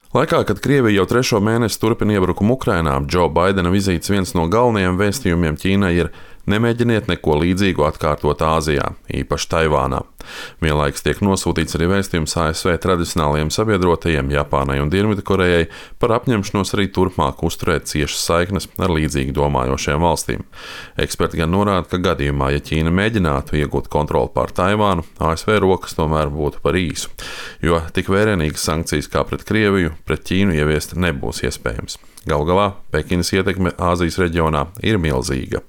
Laikā, kad Krievija jau 3. mēnesi turpina iebrukumu Ukrainā, Džo Baidena vizītes viens no galvenajiem vēstījumiem Ķīnai ir: nemēģiniet neko līdzīgu atkārtot Āzijā, īpaši Taivānā. Vienlaikus tiek nosūtīts arī vēstījums ASV tradicionālajiem sabiedrotajiem Japānai un Dienvidkorejai par apņemšanos arī turpmāk uzturēt ciešas saiknes ar līdzīgi domājošajām valstīm. Eksperti gan norāda, ka gadījumā, ja Ķīna mēģinātu iegūt kontroli pār Taivānu, ASV rokas tomēr būtu par īsu, jo tik vērienīgas sankcijas kā pret Krieviju, pret Ķīnu ieviest nebūs iespējams. Galu galā Pekinas ietekme Āzijas reģionā ir milzīga.